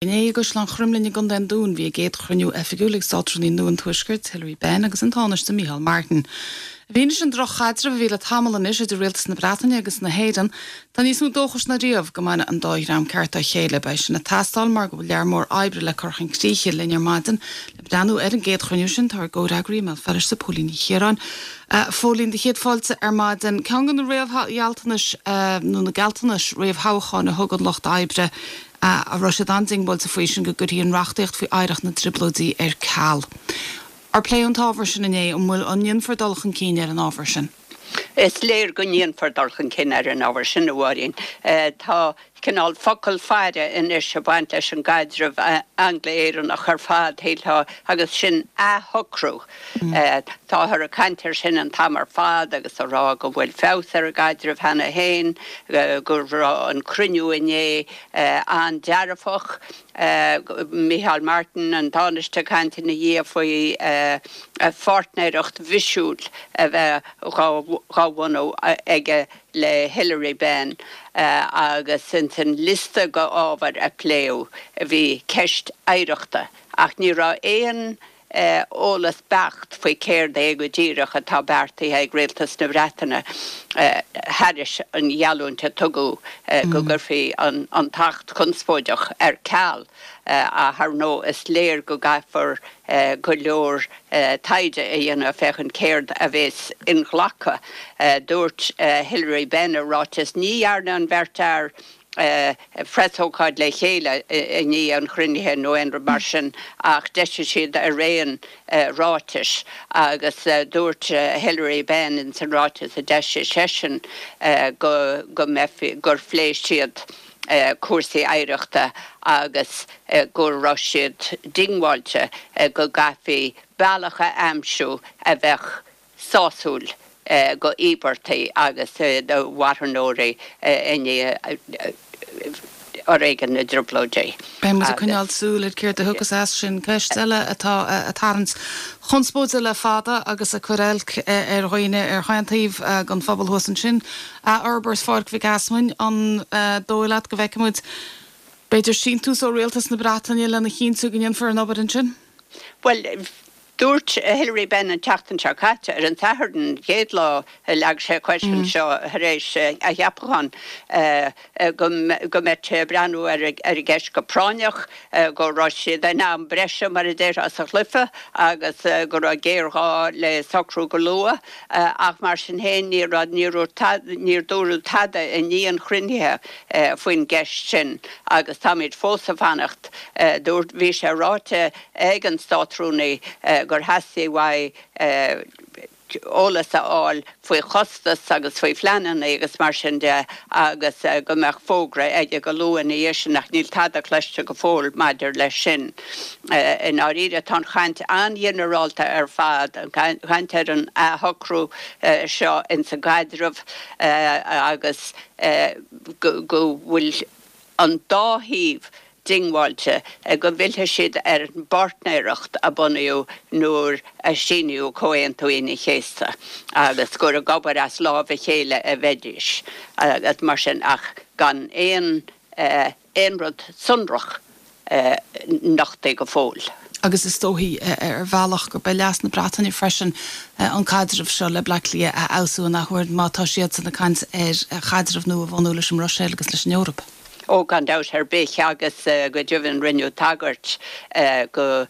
Inné i gCaisleán Chroimlinn i gContae an Dúin bhí a gcéad chruinniú oifigiúil ag Státrúnaí nua an Tuaiscirt, Hilary Benn agus an Tánaiste Micheál Martin. I bhfianaise an droch-chaidrimh a bhí le tamall anois idir Rialtas na Breataine agus na hÉireann, tá níos mó dóchais ná riamh go mbainfidh an dá dhream ceart dá chéile. Beidh sin ag teastáil mar go bhfuil lear mór oibre le cur chun críche. Linn ar maidin le breathnú ar an gcéad chruinniú sin tá ár gcomhfhreagraí i mBéal Feirste, Póilín Ní Chiaráin. A Phóilín, do chéad fáilte ar maidin. Ceann de na réamhghealltanais nó na gealltanais réamhthoghcháin a thug an Lucht Oibre a raibh siad an-diongbháilte faoi sin go gcuirfí an reachtaíocht faoi oidhreacht na dTrioblóidí ar ceal. Ar pléadh an t-ábhar sin inné? An bhfuil, an ndéanfar dul chun cinn ar an ábhar sin? Is léir go ndéanfar dul chun cinn ar an ábhar sin, a Mháirín. Tá cineál focal faire anois ag baint leis an gcaidreamh Angla-Éireannach ar fad, shílfeá, agus sin athshocrú. Táthar ag caint air sin an t-am ar fad agus ag rá go bhfuil feabhas ar an gcaidreamh cheana féin, go raibh an cruinniú inné an-dearfach. Micheál Martin, an Tánaiste, ag caint ina dhiaidh faoi pháirtnéireacht bhisiúil a bheith dhá bhunú aige le Hilary Benn agus ins an liosta de ábhair a pléadh bhí ceist oidhreachta ach ní raibh aon eolas beacht faoi céard é go díreach atá beartaithe ag Rialtas na Breataine thairis an gheallúint a tugadh go gcuirfí an tAcht conspóideach ar ceal. Ach ar ndóigh is léir go gcaithfear go leor taighde a dhéanamh féachaint céard a bhéas inghlactha. Dúirt Hilary Benn i ráiteas, Ní dhearna an bheirt fhear preasócáid le chéile i ndiaidh an chruinnithe nó aon rud mar sin ach d'eisigh siad araon ráitis agus dúirt Hilary Benn ins an ráiteas a d'eisigh seisean go go mbeifí gur phléigh siad cúrsaí oidhreachta agus go raibh siad diongbháilte go gcaithfí bealach a aimsiú a bheadh sásúil do íobartaigh agus do mharthanóirí i ndiaidh fhoréigean na dTrioblóidí. Beidh muid ag coinneáil súil ar céard a thiocfas as sin. Ceist eile atá ag tarraingt conspóide le fada agus ag cur oilc ar dhaoine ar chaon taobh den phobal thuas ansin, athfhorbairt Pháirc Mhic Easmainn, an dóigh leat go bhfeicfidh muid b'fhéidir síntiús ó Rialtas na Breataine lena chinntiú go ndéanfar an obair ansin? Bhuel, Dúirt Hilary Benn an tseachtain seo caite, ar an Satharn, an chéad lá a leag sé cois anseo tar éis a cheapacháin, go mbeadh sé ag breathnú ar an gceist go práinneach, go raibh siad in am breise, mar a déarfá, sa chluiche agus go raibh géarghá le socrú go luath. Ach mar sin féin, níor níor dúradh tada i ndiaidh an chruinnithe faoin gceist sin agus táimid fós ag fanacht. Dúirt, bhí sé ráite ag an Státrúnaí gur theastaigh uaidh eolas a fháil faoi chostas agus faoi phleananna agus mar sin de agus go mbeadh fógra aige go luath ina dhiaidh sin ach níl tada cloiste go fóill maidir leis sin. I ndáiríre tá an chaint an-ghinearálta ar fad, an chaint ar an athshocrú seo ins an gcaidreamh agus go bhfuil an dá thaobh diongbháilte go bhfillfidh siad ar an bpáirtnéireacht a bunaíodh nuair a síníodh Comhaontú Aoine an Chéasta agus gur ag obair as lámh a chéile a bheidís agus mar sin ach gan aon aon rud sonrach nochtaithe go fóill. Agus is dóichí, ar bhealach, gurb é leas na Breataine freisin an caidreamh seo le Bleá Cliath a fheabhsú an athuair má tá siadsan ag caint ar chaidreamh nua a bhunú leis an mBruiséil agus leis an Eoraip. Ó, gan dabht ar bith, agus go deimhin rinneadh tagairt go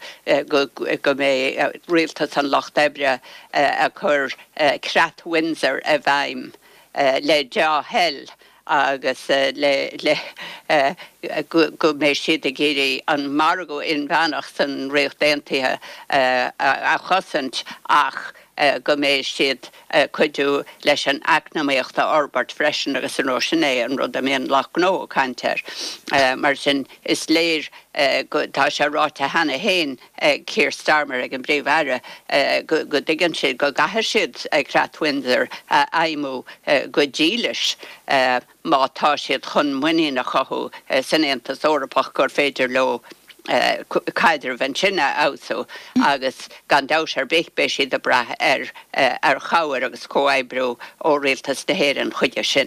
go mbeidh Rialtas an Lucht Oibre ag cur Creat Windsor i bhfeidhm le dea-thoil agus le le go mbeidh siad ag iarraidh an margadh inmheánach san Ríocht Aontaithe a chosaint ach go mbeidh siad ag cuidiú leis an eacnamaíocht a fhorbairt freisin agus ar ndóigh sin é an rud a mbíonn lucht gnó ag caint air. Mar sin is léir go, tá sé ráite cheana féin ag Keir Starmer, ag an bPríomh-Aire, go dtuigeann siad go gcaithfidh siad Creat Windsor a fheidhmiú go dílis. má tá siad chun muinín a chothú san Aontas Eorpach gur féidir leo caidreamh ansin a fheabhsú agus gan dabht ar bith beidh siad ag brath ar ar chabhair agus comhoibriú ó Rialtas na hÉireann chuige sin.